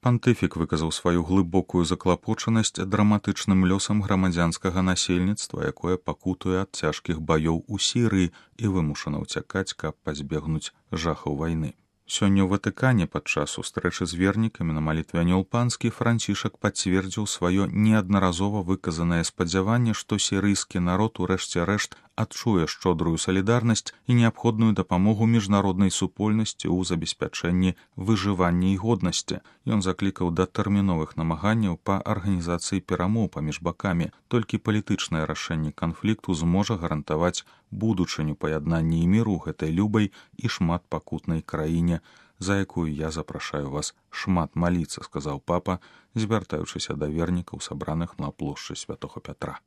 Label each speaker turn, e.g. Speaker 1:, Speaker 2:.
Speaker 1: Пантыфік выказаў сваю глыбокую заклапочанасць драматычным лёсам грамадзянскага насельніцтва, якое пакутуе ад цяжкіх баёў у Сірыі і вымушана ўцякаць, каб пазбегнуць жахаў вайны. Сёння ў Ватыкане падчас сустрэчы з вернікамі на малітве анёл панскі Францішак пацвердзіў сваё неаднаразова выказанае спадзяванне, што сірыйскі народ у рэшце рэшт адчуе шчодрую салідарнасць і неабходную дапамогу міжнароднай супольнасці ў забеспячэнні выжывання і годнасці. Ён заклікаў да тэрміновых намаганняў па арганізацыі перамоў паміж бакамі. Толькі палітычнае рашэнне канфлікту зможа гарантаваць будучыню паяднання і міру гэтай любай і шмат пакутнай краіне, за якую я запрашаю вас шмат маліцца, сказаў папа, звяртаючыся да вернікаў, сабраных на плошчы Святога Пятра.